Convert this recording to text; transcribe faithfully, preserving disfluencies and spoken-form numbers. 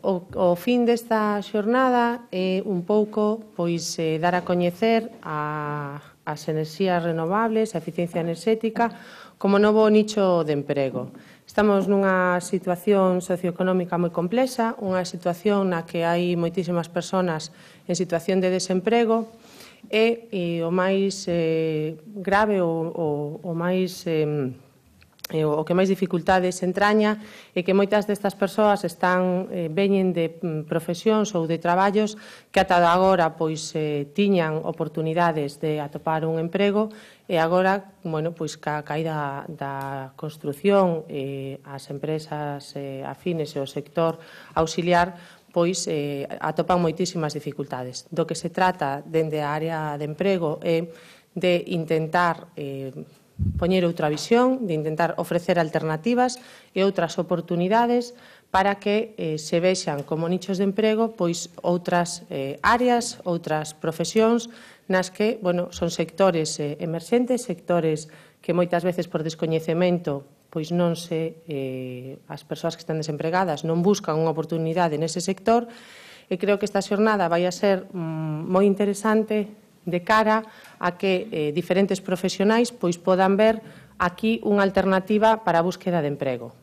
o, o fin desta xornada é un pouco pois, eh, dar a coñecer a, as enerxías renovables, a eficiencia enerxética, como novo nicho de emprego. Estamos nunha situación socioeconómica moi complexa, unha situación na que hai moitísimas persoas en situación de desemprego e, e o máis eh, grave, o, o, o máis... Eh, E o que máis dificultades entraña é que moitas destas persoas están eh, veñen de profesións ou de traballos que ata agora pois eh, tiñan oportunidades de atopar un emprego e agora, bueno, pois ca caída da construción, eh, as empresas eh, afines e o sector auxiliar pois eh, atopan moitísimas dificultades. Do que se trata dende a área de emprego é de intentar eh, poñer outra visión, de intentar ofrecer alternativas e outras oportunidades para que eh, se vexan como nichos de emprego pois outras eh, áreas, outras profesións nas que, bueno, son sectores eh, emerxentes, sectores que moitas veces por descoñecemento pois non se, eh, as persoas que están desempregadas non buscan unha oportunidade nese sector e creo que esta xornada vai a ser mm, moi interesante de cara a que eh, diferentes profesionais pois podan ver aquí unha alternativa para a búsqueda de emprego.